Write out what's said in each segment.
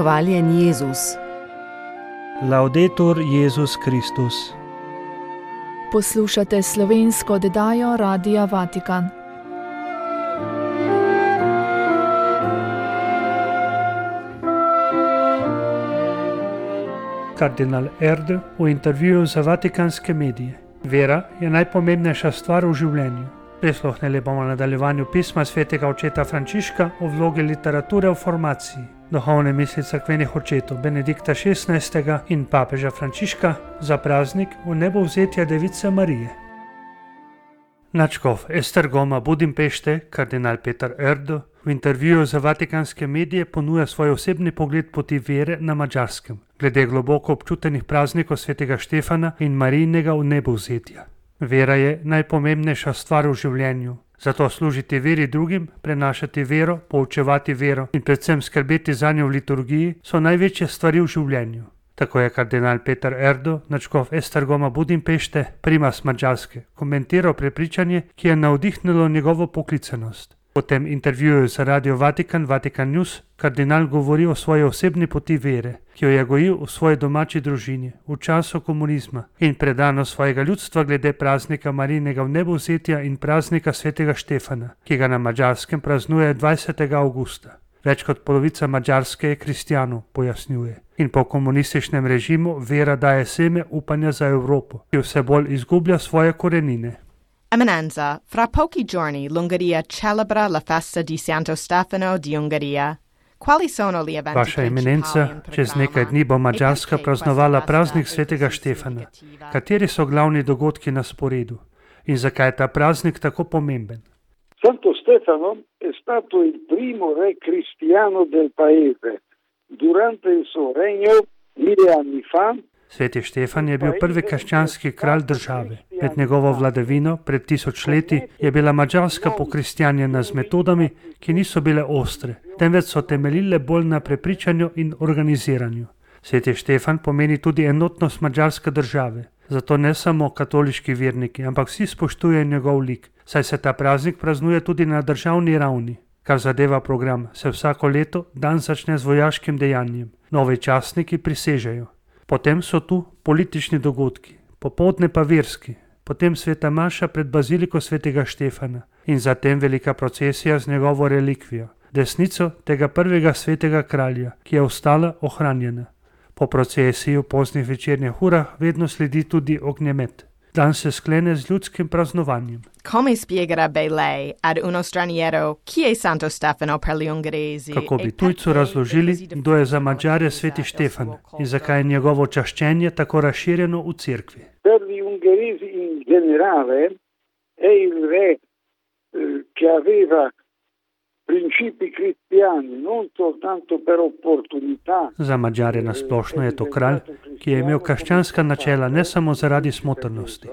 Hvaljen Jezus. Laudetur Jezus Kristus. Poslušate slovensko oddajo Radia Vatikan. Kardinal Erdő v intervjuju za vatikanske medije. Vera je najpomembnejša stvar v življenju. Prisluhnili bomo nadaljevanju pisma svetega očeta Frančiška o vlogi literature v formaciji, duhovne misli cerkvenih očetov Benedikta XVI. In papeža Frančiška za praznik vnebovzetja Device Marije. Nadškof Esztergoma Budimpešte, kardinal Petar Erdő, v intervjuju za vatikanske medije ponuja svoj osebni pogled poti vere na Madžarskem, glede globoko občutenih praznikov svetega Štefana in Marijinega vnebovzetja. Vera je najpomembnejša stvar v življenju, zato služiti veri drugim, prenašati vero, poučevati vero in predvsem skrbeti za njo v liturgiji so največje stvari v življenju. Tako je kardinal Petar Erdő, nadškof Esztergoma Budimpešte, primas Madžarske, komentiral prepričanje, ki je navdihnilo njegovo poklicanost. V tem intervjuju za Radio Vatikan, Vatikan News, kardinal govori o svoji osebni poti vere, ki jo je gojil v svoji domači družini, v času komunizma in predano svojega ljudstva glede praznika Marijinega vnebovzetja in praznika svetega Štefana, ki ga na Madžarskem praznuje 20. avgusta. Več kot polovica Madžarske je kristjanov, pojasnjuje. In po komunističnem režimu vera daje seme upanja za Evropo, ki vse bolj izgublja svoje korenine. Eminenza, fra pochi giorni l'Ungheria celebra la festa di Santo Stefano di Ungheria. Quali sono gli eventi Vaša eminenca, čez nekaj dni bo Madžarska praznovala praznik svetega Štefana. Kateri so glavni dogodki na sporedu? In zakaj je ta praznik tako pomemben? Santo Stefano è stato il primo re cristiano del paese. Durante il suo regno, 1000 anni fa, Sveti Štefan je bil prvi krščanski kralj države. Med njegovo vladavino pred 1000 leti je bila Madžarska pokristjanjena z metodami, ki niso bile ostre, temveč so temeljile bolj na prepričanju in organiziranju. Sveti Štefan pomeni tudi enotnost madžarske države. Zato ne samo katoliški verniki, ampak vsi spoštujejo njegov lik, saj se ta praznik praznuje tudi na državni ravni. Kar zadeva program, se vsako leto dan začne z vojaškim dejanjem. Novi častniki prisežejo. Potem so tu politični dogodki, popoldne pa verski, potem sveta maša pred baziliko svetega Štefana in zatem velika procesija z njegovo relikvijo, desnico tega prvega svetega kralja, ki je ostala ohranjena. Po procesiji v poznih večernjih urah vedno sledi tudi ognjemet. Dan se sklene z ljudskim praznovanjem. Come spiegherebbe lei ad uno straniero chi è Santo Stefano per gli ungheresi? Kako bi tujcu razložili, kdo je za Madžare sveti Štefan in zakaj je njegovo čaščenje tako razširjeno v cerkvi? Per gli ungheresi in generale è il re che aveva principi cristiani, non soltanto per opportunità. Za Madžare nasplošno je to kralj, ki je imel krščanska načela ne samo zaradi smotrnosti.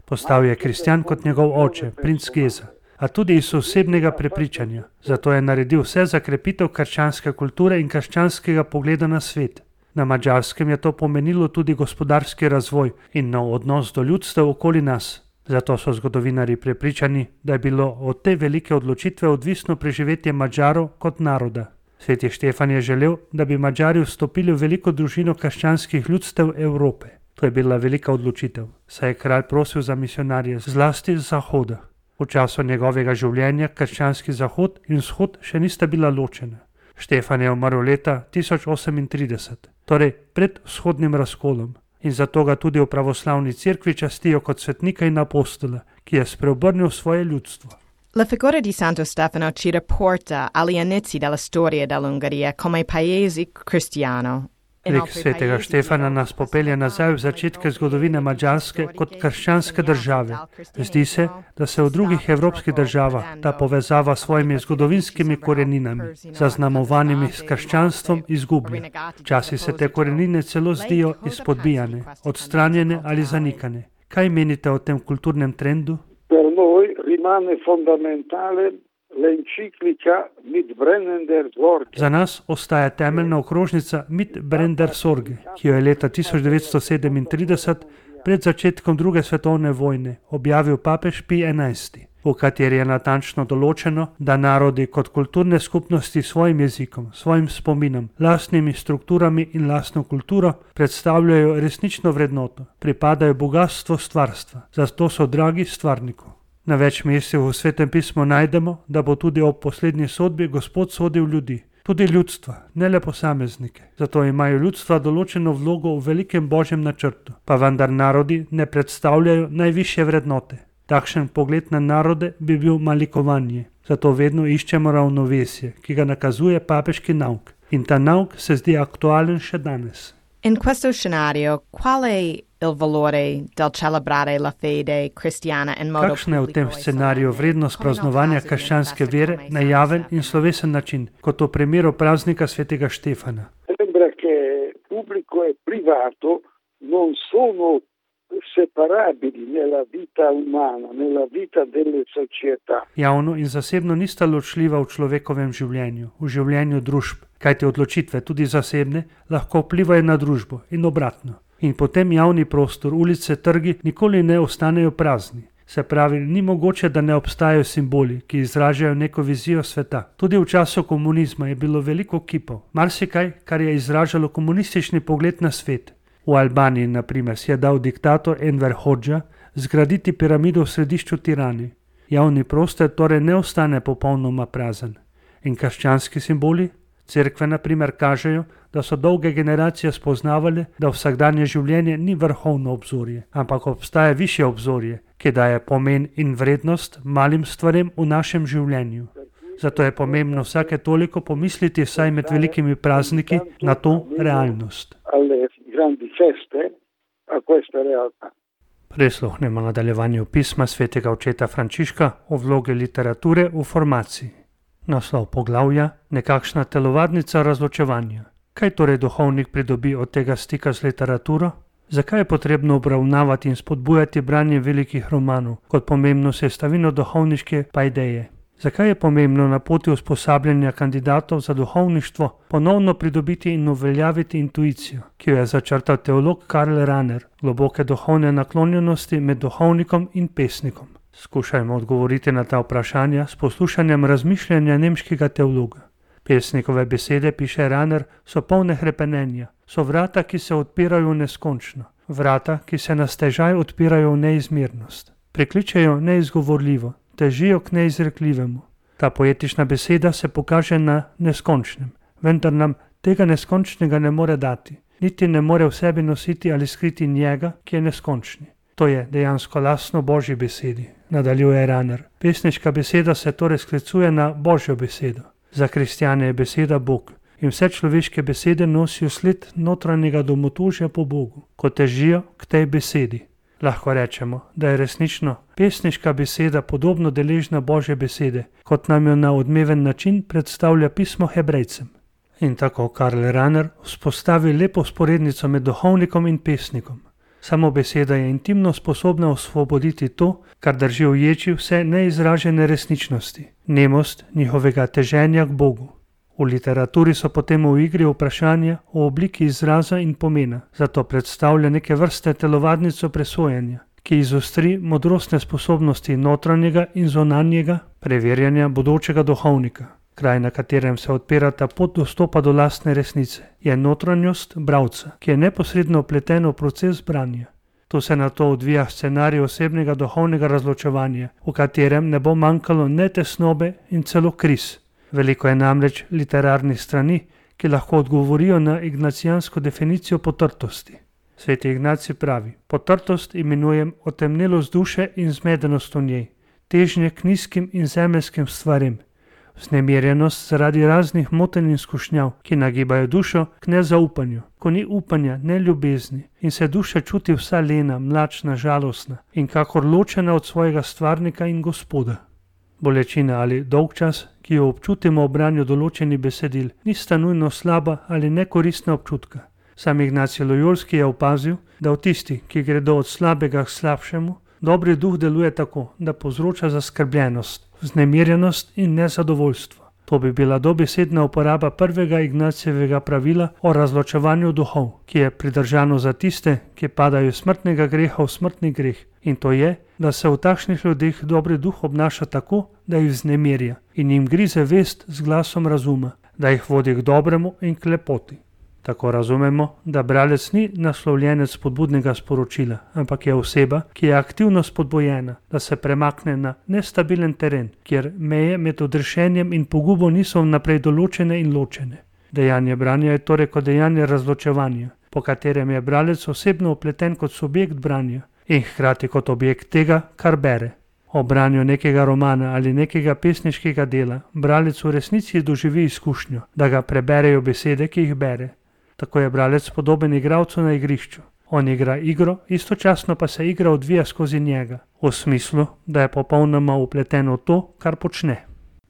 Postal je kristjan kot njegov oče, princ Geza, a tudi iz osebnega prepričanja. Zato je naredil vse za krepitev krščanske kulture in krščanskega pogleda na svet. Na Madžarskem je to pomenilo tudi gospodarski razvoj in nov odnos do ljudstev okoli nas. Zato so zgodovinarji prepričani, da je bilo od te velike odločitve odvisno preživetje Madžarov kot naroda. Sveti Štefan je želel, da bi Madžari vstopili v veliko družino krščanskih ljudstev Evrope. To je bila velika odločitev, saj je kralj prosil za misionarje zlasti z zahoda. V času njegovega življenja krščanski zahod in vzhod še nista bila ločena. Štefan je umrl leta 1038, torej pred vzhodnim razkolom. In zato ga tudi v pravoslavni cerkvi častijo kot svetnika in apostola, ki je spreobrnil svoje ljudstvo. La figura di Santo Stefano ci riporta agli inizi della storia dell'Ungheria come paese cristiano. Lik svetega Štefana nas popelje nazaj v začetke zgodovine Madžarske kot krščanske države. Zdi se, da se v drugih evropskih državah ta povezava s svojimi zgodovinskimi koreninami, zaznamovanimi s krščanstvom, izgublja. Včasih se te korenine celo zdijo izpodbijane, odstranjene ali zanikane. Kaj menite o tem kulturnem trendu? Per noi rimane fondamentale l'enciclica Mitbrennender Sorge. Za nas ostaja temeljna okrožnica Mitbrennender Sorge, ki jo je leta 1937 pred začetkom druge svetovne vojne objavil papež Pij XI. v kateri je natančno določeno, da narodi kot kulturne skupnosti svojim jezikom, svojim spominom, lastnimi strukturami in lastno kulturo predstavljajo resnično vrednoto, pripadajo bogatstvo stvarstva, zato so dragi stvarniku. Na več mestih v Svetem pismu najdemo, da bo tudi ob poslednji sodbi Gospod sodil ljudi, tudi ljudstva, ne le posameznike. Zato imajo ljudstva določeno vlogo v velikem božjem načrtu, pa vendar narodi ne predstavljajo najvišje vrednote. Takšen pogled na narode bi bil malikovanje, zato vedno iščemo ravnovesje, ki ga nakazuje papeški nauk. In ta nauk se zdi aktualen še danes. In questo scenario, qual è il valore del celebrare la fede cristiana in modo Kakšna je v tem scenariju vrednost praznovanja krščanske vere na javen in slovesen način, kot v primeru praznika svetega Štefana? Sembra che pubblico e privato non sono separabili nella vita umana, nella vita delle società. Javno in zasebno nista ločljiva v človekovem življenju, v življenju družb, kajti odločitve, tudi zasebne, lahko vplivajo na družbo in obratno. In potem javni prostor, ulice, trgi nikoli ne ostanejo prazni. Se pravi, ni mogoče, da ne obstajajo simboli, ki izražajo neko vizijo sveta. Tudi v času komunizma je bilo veliko kipov, marsikaj, kar je izražalo komunistični pogled na svet. V Albaniji, na primer, si je dal diktator Enver Hodža zgraditi piramido v središču Tirane. Javni prostor torej ne ostane popolnoma prazen. In krščanski simboli? Cerkve, na primer, kažejo, da so dolge generacije spoznavali, da vsakdanje življenje ni vrhovno obzorje, ampak obstaja višje obzorje, ki daje pomen in vrednost malim stvarem v našem življenju. Zato je pomembno vsake toliko pomisliti vsaj med velikimi prazniki na to realnost. Prisluhnemo nadaljevanju pisma svetega očeta Frančiška o vlogi literature v formaciji. Naslov poglavja: nekakšna telovadnica razločevanja. Kaj torej duhovnik pridobi od tega stika z literaturo? Zakaj je potrebno obravnavati in spodbujati branje velikih romanov kot pomembno sestavino duhovniške paideje? Zakaj je pomembno na poti usposabljanja kandidatov za duhovništvo ponovno pridobiti in uveljaviti intuicijo, ki jo je začrtal teolog Karl Rahner, globoke duhovne naklonjenosti med duhovnikom in pesnikom? Skušajmo odgovoriti na ta vprašanja s poslušanjem razmišljanja nemškega teologa. Pesnikove besede, piše Rahner, so polne hrepenenja, so vrata, ki se odpirajo v neskončno, vrata, ki se na stežaj odpirajo v neizmernost. Prikličejo neizgovorljivo, težijo k neizrekljivemu. Ta poetična beseda se pokaže na neskončnem, vendar nam tega neskončnega ne more dati, niti ne more v sebi nositi ali skriti njega, ki je neskončni. To je dejansko lastno Božji besedi, nadaljuje Rahner. Pesniška beseda se torej sklicuje na Božjo besedo. Za kristjane je beseda Bog in vse človeške besede nosijo sled notranjega domotožja po Bogu, ko težijo k tej besedi. Lahko rečemo, da je resnično pesniška beseda podobno deležna Božje besede, kot nam jo na odmeven način predstavlja pismo Hebrejcem. In tako Karl Rahner vzpostavi lepo vzporednico med duhovnikom in pesnikom. Samo beseda je intimno sposobna osvoboditi to, kar drži v ječi vse neizražene resničnosti, nemost njihovega teženja k Bogu. V literaturi so potem v igri vprašanja o obliki izraza in pomena, zato predstavlja neke vrste telovadnico presojanja, ki izostri modrostne sposobnosti notranjega in zunanjega preverjanja bodočega duhovnika. Kraj, na katerem se odpirata pot dostopa do lastne resnice, je notranjost bralca, ki je neposredno vpleten v proces branja. Tu se nato odvija scenarij osebnega duhovnega razločevanja, v katerem ne bo manjkalo ne tesnobe in celo kriz. Veliko je namreč literarnih strani, ki lahko odgovorijo na ignacijansko definicijo potrtosti. Sveti Ignacij pravi: potrtost imenujem otemnelost duše in zmedenost v njej, težnje k nizkim in zemeljskim stvarem, vznemirjenost zaradi raznih motenj in skušnjav, ki nagibajo dušo k nezaupanju, ko ni upanja, ne ljubezni in se duša čuti vsa lena, mlačna, žalostna in kakor ločena od svojega stvarnika in Gospoda. Bolečina ali dolgčas, ki jo občutimo ob branju določenih besedil, nista nujno slaba ali nekoristna občutka. Sam Ignacij Lojolski je opazil, da v tisti, ki gredo od slabega k slabšemu, dobri duh deluje tako, da povzroča zaskrbljenost, vznemirjenost in nezadovoljstvo. To bi bila dobesedna uporaba prvega Ignacijevega pravila o razločevanju duhov, ki je pridržano za tiste, ki padajo iz smrtnega greha v smrtni greh. In to je, da se v takšnih ljudeh dobri duh obnaša tako, da jih vznemirja in jim grize vest z glasom razuma, da jih vodi k dobremu in k lepoti. Tako razumemo, da bralec ni naslovljenec spodbudnega sporočila, ampak je oseba, ki je aktivno spodbojena, da se premakne na nestabilen teren, kjer meje med odrešenjem in pogubo niso vnaprej določene in ločene. Dejanje branja je torej kot dejanje razločevanja, po katerem je bralec osebno vpleten kot subjekt branja in hkrati kot objekt tega, kar bere. O branju nekega romana ali nekega pesniškega dela bralec v resnici doživi izkušnjo, da ga preberejo besede, ki jih bere. Tako je bralec podoben igralcu na igrišču. On igra igro, istočasno pa se igra odvija skozi njega, v smislu, da je popolnoma vpleten v to, kar počne.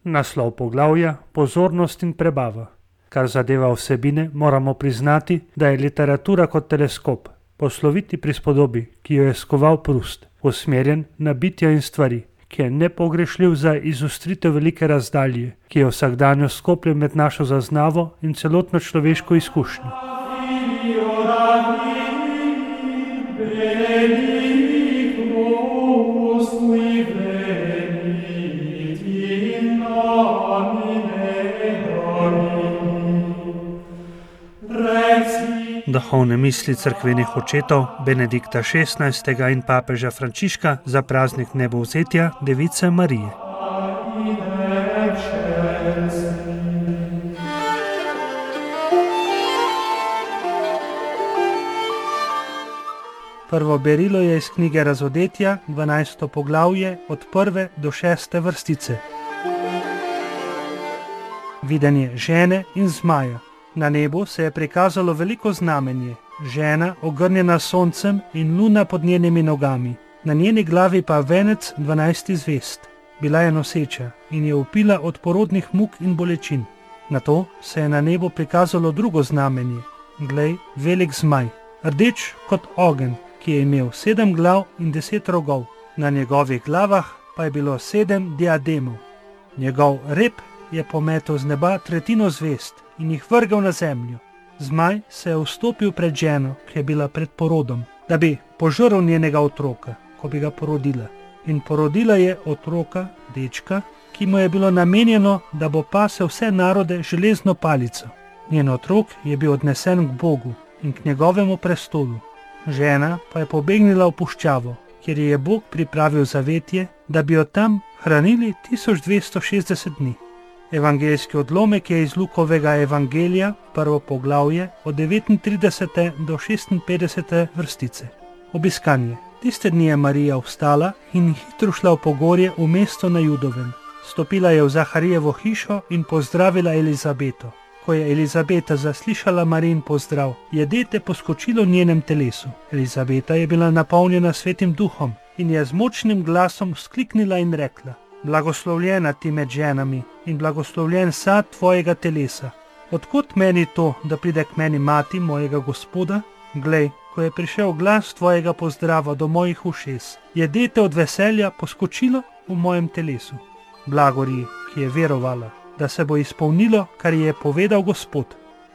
Naslov poglavja: pozornost in prebava. Kar zadeva vsebine, moramo priznati, da je literatura kot teleskop, posloviti prispodobi, ki jo je skoval Proust, usmerjen na bitja in stvari, ki je nepogrešljiv za izostritev velike razdalje, ki je vsakdanjo skopljen med našo zaznavo in celotno človeško izkušnjo. Duhovne misli cerkvenih očetov Benedikta XVI. In papeža Frančiška za praznik nebovzetja Device Marije. Prvo berilo je iz knjige Razodetja, 12. poglavje, od 1. do 6. vrstice. Videnje žene in zmaja. Na nebu se je prikazalo veliko znamenje, žena ogrnjena s soncem in luna pod njenimi nogami, na njeni glavi pa venec 12 zvezd. Bila je noseča in je vpila od porodnih muk in bolečin. Nato se je na nebu prikazalo drugo znamenje, glej, velik zmaj, rdeč kot ogenj, ki je imel 7 glav in 10 rogov, na njegovih glavah pa je bilo 7 diademov. Njegov rep je pometel z neba tretjino zvezd in jih vrgel na zemljo. Zmaj se je vstopil pred ženo, ki je bila pred porodom, da bi požrl njenega otroka, ko bi ga porodila. In porodila je otroka, dečka, ki mu je bilo namenjeno, da bo pasel vse narode železno palico. Njen otrok je bil odnesen k Bogu in k njegovemu prestolu. Žena pa je pobegnila v puščavo, kjer je Bog pripravil zavetje, da bi jo tam hranili 1260 dni. Evangeljski odlomek je iz Lukovega evangelija, prvo poglavje, od 39. do 56. vrstice. Obiskanje. Tiste dni je Marija vstala in hitro šla v pogorje v mesto na Judovem. Stopila je v Zaharijevo hišo in pozdravila Elizabeto. Ko je Elizabeta zaslišala Marijin pozdrav, je dete poskočilo v njenem telesu. Elizabeta je bila napolnjena Svetim duhom in je z močnim glasom vzkliknila in rekla: blagoslovljena ti med ženami in blagoslovljen sad tvojega telesa. Odkot meni to, da pride k meni mati mojega Gospoda? Glej, ko je prišel glas tvojega pozdrava do mojih ušes, je dete od veselja poskočilo v mojem telesu. Blagori, ki je verovala, da se bo izpolnilo, kar je povedal Gospod.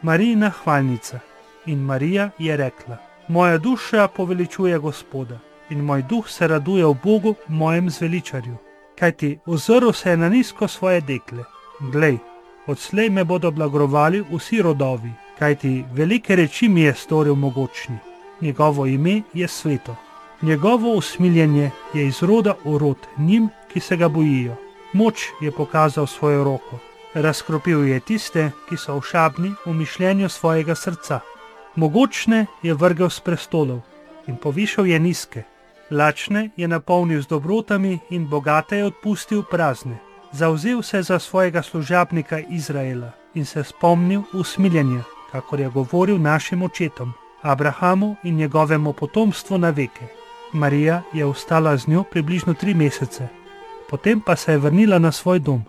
Marijina hvalnica. In Marija je rekla: moja duša poveličuje Gospoda in moj duh se raduje v Bogu, mojem zveličarju. Kajti ozrl se je na nizko svoje dekle. Glej, odslej me bodo blagrovali vsi rodovi, kajti velike reči mi je storil mogočni. Njegovo ime je sveto. Njegovo usmiljenje je iz roda v rod njim, ki se ga bojijo. Moč je pokazal svojo roko. Razkropil je tiste, ki so ošabni v mišljenju svojega srca. Mogočne je vrgel s prestolov in povišal je nizke. Lačne je napolnil z dobrotami in bogate je odpustil prazne. Zavzel se za svojega služabnika Izraela in se spomnil usmiljenja, kakor je govoril našim očetom, Abrahamu in njegovemu potomstvu na veke. Marija je ostala z njo približno 3 mesece, potem pa se je vrnila na svoj dom.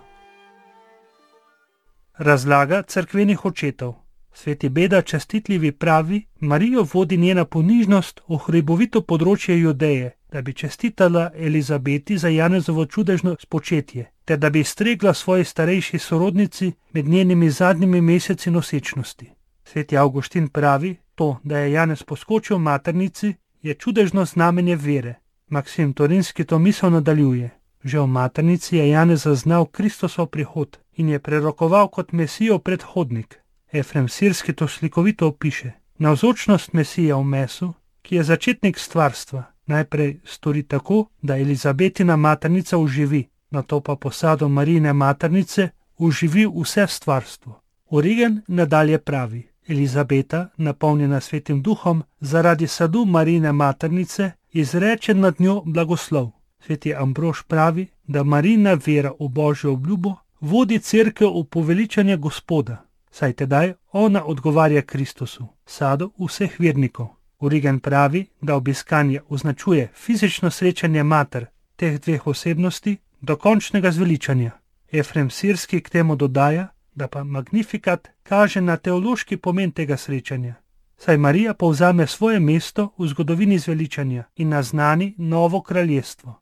Razlaga cerkvenih očetov. Sveti Beda častitljivi pravi, Marijo vodi njena ponižnost v hribovito področje Judeje, da bi čestitala Elizabeti za Janezovo čudežno spočetje, ter da bi stregla svoji starejši sorodnici med njenimi zadnjimi meseci nosečnosti. Sveti Avguštin pravi, to, da je Janez poskočil maternici, je čudežno znamenje vere. Maksim Torinski to misel nadaljuje. Že v maternici je Janez zaznal Kristosov prihod in je prerokoval kot Mesijo predhodnik. Efrem Sirski to slikovito opiše. Navzočnost Mesije v mesu, ki je začetnik stvarstva, najprej stori tako, da Elizabetina maternica uživi, nato pa posado Marijine maternice uživi vse stvarstvo. Origen nadalje pravi, Elizabeta, napolnjena Svetim Duhom, zaradi sadu Marijine maternice izreče nad njo blagoslov. Sveti Ambrož pravi, da Marijina vera v Božjo obljubo vodi cerkev v poveličanje Gospoda, saj tedaj ona odgovarja Kristusu, sadu vseh vernikov. Origen pravi, da obiskanje označuje fizično srečanje mater teh dveh osebnosti do končnega zveličanja. Efrem Sirski k temu dodaja, da pa Magnificat kaže na teološki pomen tega srečanja, saj Marija povzame svoje mesto v zgodovini zveličanja in naznani novo kraljestvo.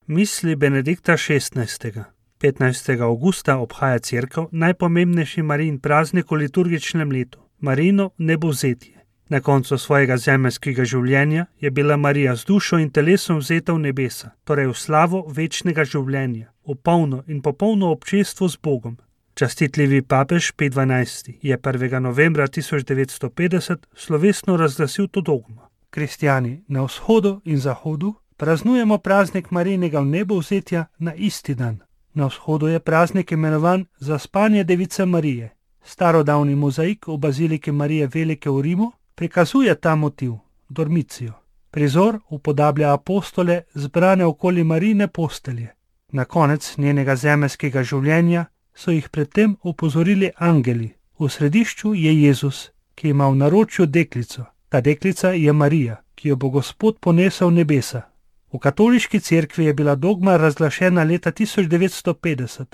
Misli Benedikta XVI. 15. avgusta obhaja cerkev najpomembnejši Marijin praznik v liturgičnem letu, Marijino nebovzetje. Na koncu svojega zemeljskega življenja je bila Marija z dušo in telesom vzeta v nebesa, torej v slavo večnega življenja, v polno in popolno občestvo z Bogom. Častitljivi papež Pij XII. Je 1. novembra 1950 slovesno razglasil to dogmo. Kristjani na vzhodu in zahodu praznujemo praznik Marijinega vnebovzetja na isti dan. Na vzhodu je praznik imenovan Zaspanje Device Marije. Starodavni mozaik v baziliki Marije Velike v Rimu prikazuje ta motiv, dormicijo. Prizor upodablja apostole zbrane okoli Marijine postelje. Na konec njenega zemeljskega življenja so jih predtem opozorili angeli. V središču je Jezus, ki ima v naročju deklico. Ta deklica je Marija, ki jo bo Gospod ponesel v nebesa. V katoliški cerkvi je bila dogma razglašena leta 1950,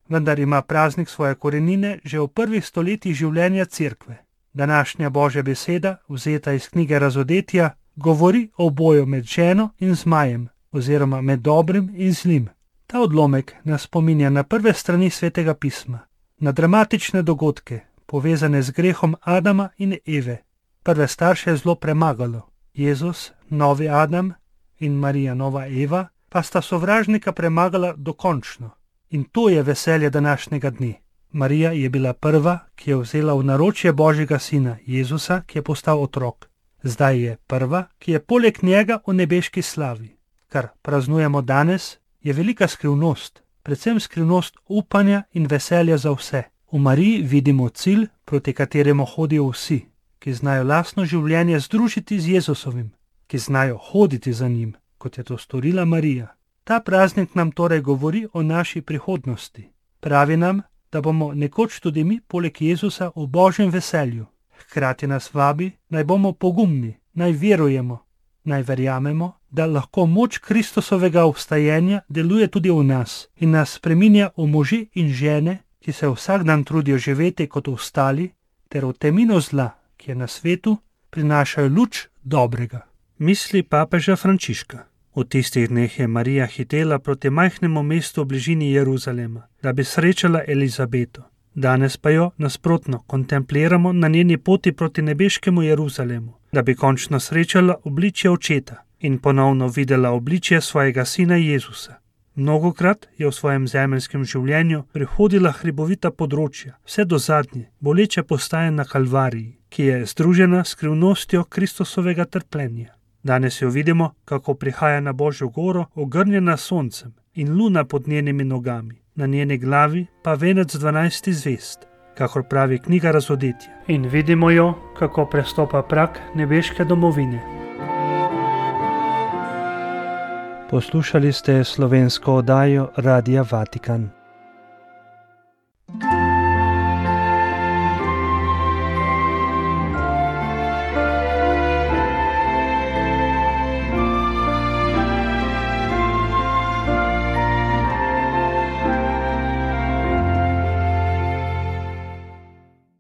vendar ima praznik svoje korenine že v prvih stoletjih življenja cerkve. Današnja Božja beseda, vzeta iz knjige Razodetja, govori o boju med ženo in zmajem, oziroma med dobrim in zlim. Ta odlomek nas spominja na prve strani Svetega pisma, na dramatične dogodke, povezane z grehom Adama in Eve. Prve starše je zlo premagalo. Jezus, novi Adam, in Marija, nova Eva, pa sta sovražnika premagala dokončno. In to je veselje današnjega dne. Marija je bila prva, ki je vzela v naročje Božjega sina, Jezusa, ki je postal otrok. Zdaj je prva, ki je poleg njega v nebeški slavi. Kar praznujemo danes, je velika skrivnost, predvsem skrivnost upanja in veselja za vse. V Mariji vidimo cilj, proti kateremu hodijo vsi, ki znajo lastno življenje združiti z Jezusovim, ki znajo hoditi za njim, kot je to storila Marija. Ta praznik nam torej govori o naši prihodnosti. Pravi nam, da bomo nekoč tudi mi poleg Jezusa v Božjem veselju. Hkrati nas vabi, naj bomo pogumni, naj verujemo, naj verjamemo, da lahko moč Kristusovega obstajenja deluje tudi v nas in nas spreminja v može in žene, ki se vsak dan trudijo živeti kot ostali, ter v temino zla, ki je na svetu, prinašajo luč dobrega. Misli papeža Frančiška. V tistih dneh je Marija hitela proti majhnemu mestu v bližini Jeruzalema, da bi srečala Elizabeto. Danes pa jo, nasprotno, kontempliramo na njeni poti proti nebeškemu Jeruzalemu, da bi končno srečala obličje očeta in ponovno videla obličje svojega sina Jezusa. Mnogokrat je v svojem zemeljskem življenju prehodila hribovita področja, vse do zadnje, boleče postaje na Kalvariji, ki je združena s skrivnostjo Kristusovega trpljenja. Danes jo vidimo, kako prihaja na Božjo goro, ogrnjena soncem in luna pod njenimi nogami, na njeni glavi pa venec 12 zvezd, kakor pravi knjiga Razodetja. In vidimo jo, kako prestopa prag nebeške domovine. Poslušali ste slovensko oddajo Radia Vatikan.